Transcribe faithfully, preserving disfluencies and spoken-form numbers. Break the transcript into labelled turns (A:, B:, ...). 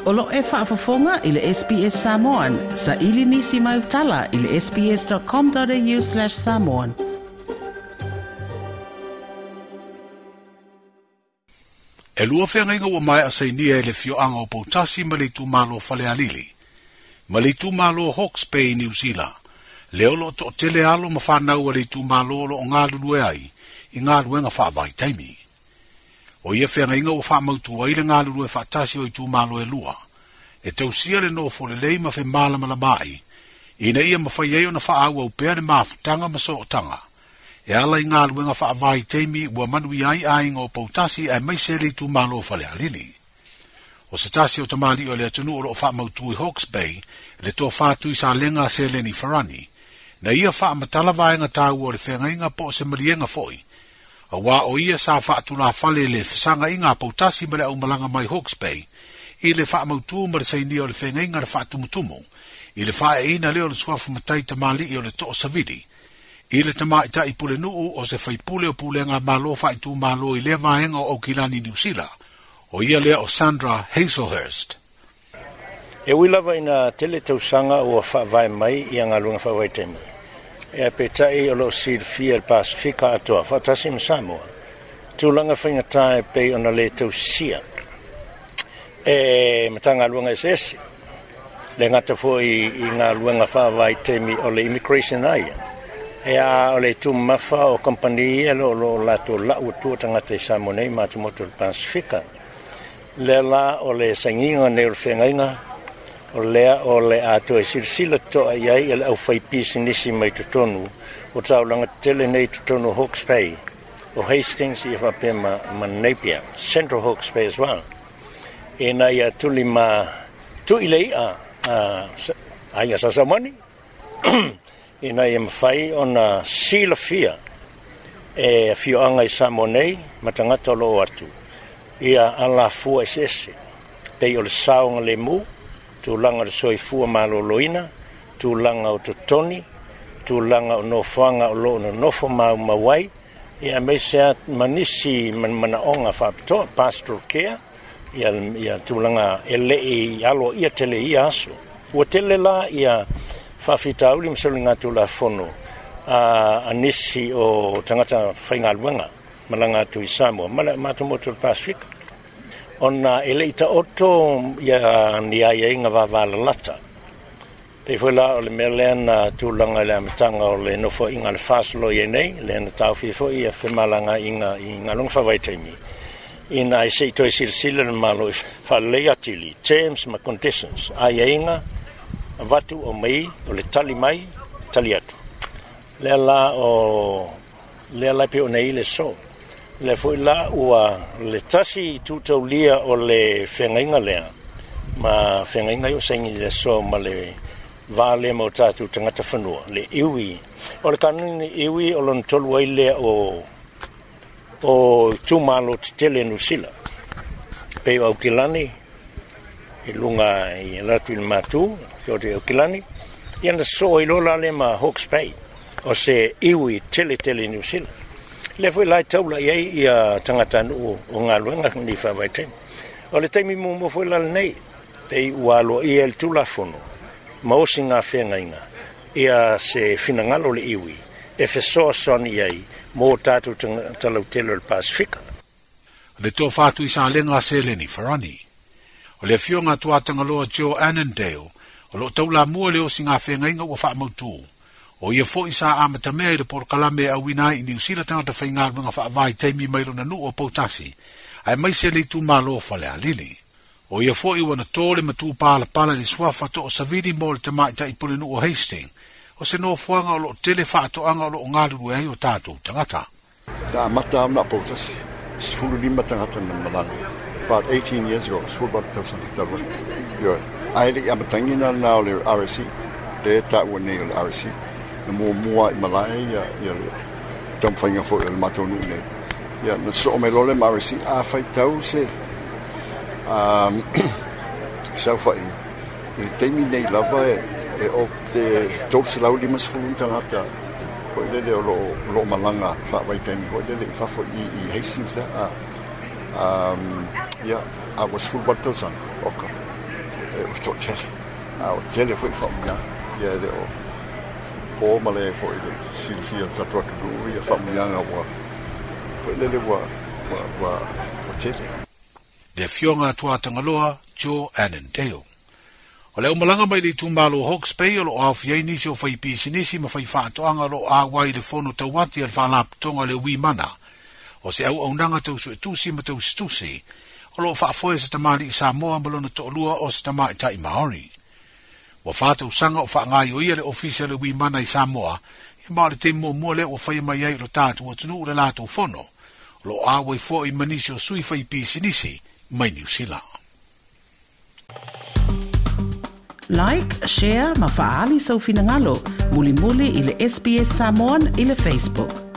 A: O lo e faafofoga i le S B S Samoan, sa ili nisi mai utala i le sbs.com.au slash samoan.
B: E lua feagaiga ua maea sainia e le fioaga o Poutasi ma le itumalo Falealili, ma le itumalo Hawke's Bay i Niu Sila, lea o loo toatele alo ma fanau a le itumalo o loo galulue ai i galuega faavaitaimi. O ia feagaiga ua faamautu ai le galulue faatasi o itumalo e lua, e tausia le nofo lelei ma femalamalamaai, ina ia mafai ai ona faaauau pea le mafutaga ma sootaga, e ala i galuega faavaitaimi ua manuia ai aiga o Poutasi aemaise le itumalo Falealili. O se tasi o tamalii o le atunuu o loo faamautu i Hawke's Bay, le tofa Tuisalega Seleni Farani, na ia faamatala vaega taua o le feagaiga po o se maliega foi, auā o ia sa faatulafale le fesagaiga a Poutasi ma le aumalaga mai Hawke's Bay, i le faamautu ma le sainia o le feagaiga le faatumutumu, i le faaeina lea o le suafa matai tamalii o le too savili, i le tamaitai pulenuu o se faipule o pulega malo faaitumalo i lea vaega o Aukilani Niu Sila, o ia lea o Sandra Hazelhurst.
C: E ui lava ina tele tausaga ua faavae mai ia galuega faavaitaimi. E peitai o loo silafia le Pasifika atoa faatasi ma Samoa. Tulaga faigata e pei ona le tausia e Matagaluega eseese. Le gata foi i galuega faavaitaimi o le immigration ai. E a o le tumamafa o kompani e lo lo latou lau atua tagata i Samoa nei ma atumotu o le Pasifika. Lea la o le sainiga nei o le feagaiga, o lea o le atoa e silasila toa i ai e le aufaipisinisi mai totonu o taulaga tele nei totonu o Hawke's Bay, o Hastings ia faapea ma, ma Napier, Central Hawke's Bay as well. Ina ia tuli ma tui le i'a aiga Sasamani, ina ia mafai ona silafia e afioaga i Samoa nei ma tagata o loo atu ia alafua eseese, pei o le saoga lemu, tulaga o le soifua maloloina, tulaga o totoni, tulaga o nofoaga o loo nonofo maumau ai, ia aemaise a ma nisi manaoga faapitoa, pastoral care, ia, ia tulaga e lei aloaia tele ia aso. Ua tele la ia faafitauli ma soligatulafono a, a nisi o tagata faigaluega malaga atu i Samoa ma le matomotu o le Pasifika. Ona e lei taoto ia ni aiaiga vavalalata. Pei foi la o le mea lea na tulaga i le amataga o le nofoaiga a le Faslo i ai nei, lea na taofia foi ia femalagaiga i galuega faavaitaimi, ina ai sei toe silasila le Malo i faalelei atili, terms ma conditions, aiaiga avatu o mai, o le tali mai, tali atu. Lea la o lea la pe o nei le so. Le foi la ua le tasi tutaulia o le feagaiga lea, ma feagaiga i o saini le so ma le va lea ma o tatou tagata fanua, le iwi. O le kanuni iwi o lona tolu ai lea o o itumalo tetele Niu Sila. Pei o Aukilani, i luga i latu i le matu, o te Aukilani, ia na soo i lola le ma Hawke's Bay, o se iwi tele tele Niu Sila. Le foi lai taula i ai ia tagata nuu o galuega ni faavaitaimi. O le taimi muamua foi la lenei, pei ua aloaia le tulafono, ma osi ngā feagaiga, ia se finagalo le iwi, e fesoasoani i ai mo tatou talautele o le Pasifika.
B: Le tofa Tuisalega a Seleni Farani. O le afioga Tuatagaloa Joe Annandale, o loo taulamua le osi ngā feagaiga ua faamautu. O ia foi sa amatamea i le polokalame e auina ai i Niu Sila tagata faigaluega faavaitaimi mai lona nuu o Poutasi, aemaise le itumalo Falealili. O ia foi ua na tō le matū palapala i le suafa too savili mo le tamaitai pulenuu o Hastings, o se nofoaga o loo tele faatoaga o loo galulue ai o tatou tagata.
D: Na amata au na Poutasi, sefulu lima tagata na malaga. About eighteen years ago, sefulu valu tausaga talu ai. Ioe, ae lei amatagina lena o le R S C, le taua nei o le R S C, na muamua i malae ia, ia le taumafaiga foi o le matou nuu nei. Ia, na soo mai loa le ma R S C, a faitau se um, saofaiga. I le taimi nei lava e, e o te tolu selau lima sefulu tagata foi lele o loo, loo malaga faavaitaimi foi lele i fafo i, i Hastings lea. A, um, ia, a ua sefulu valu tausaga, oka. E ua toʻatele a ua tele foʻi faamanuiaga ia e le o po ma le foʻi le silafia o le tatou atunuu ia faamanuiaga ua foʻi lele ua ua ua ua tele.
B: Le afioga a Tuatagaloa Joe Annandale. O le aumalaga mai le itumalo Hawke's Bay o loo aofia ai nisi o fai pisinisi ma fai faatoaga o loo auai le fono tauati a le faalapotopotoga le Wimana. O se auaunaga tau suetusi ma tausitusi o loo faafoe se tamalii Samoa ma lona toalua o se tamaitai Maori. Ua fa tausaga o faagaioia le ofisa le Wimana i Samoa, ma o le taimi muamua lea ua faia mai ai i lo tatou atunuu le latou fono. O loo auai foi ma nisi o sui fai pisinisi mai Niu Sila.
A: Like, share ma faali sau finagalo, mulimuli i le S B S Samoan i le Facebook.